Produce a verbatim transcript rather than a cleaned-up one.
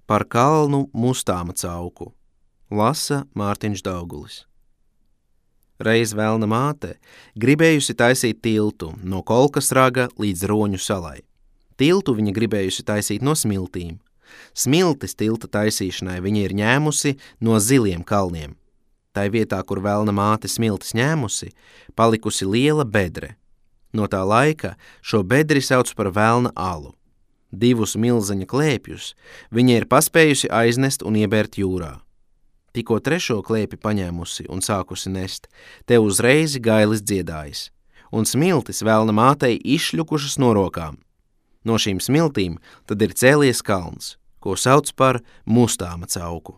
Par kalnu Mustāma cauku. Lasa Mārtiņš Daugulis. Reiz velna māte gribējusi taisīt tiltu no Kolkas raga līdz Roņu salai. Tiltu viņa gribējusi taisīt no smiltīm. Smiltis tilta taisīšanai viņa ir ņēmusi no Ziliem kalniem. Tai vietā, kur velna māte smiltis ņēmusi, palikusi liela bedre. No tā laika šo bedri sauc par velna alu. Divus milzeņa klēpjus viņa ir paspējusi aiznest un iebērt jūrā. Tikko trešo klēpi paņēmusi un sākusi nest, te uzreiz gailis dziedājis, un smiltis velna mātei izšļukušas no rokām. No šīm smiltīm tad ir cēlies kalns, ko sauc par Mustāma cauku.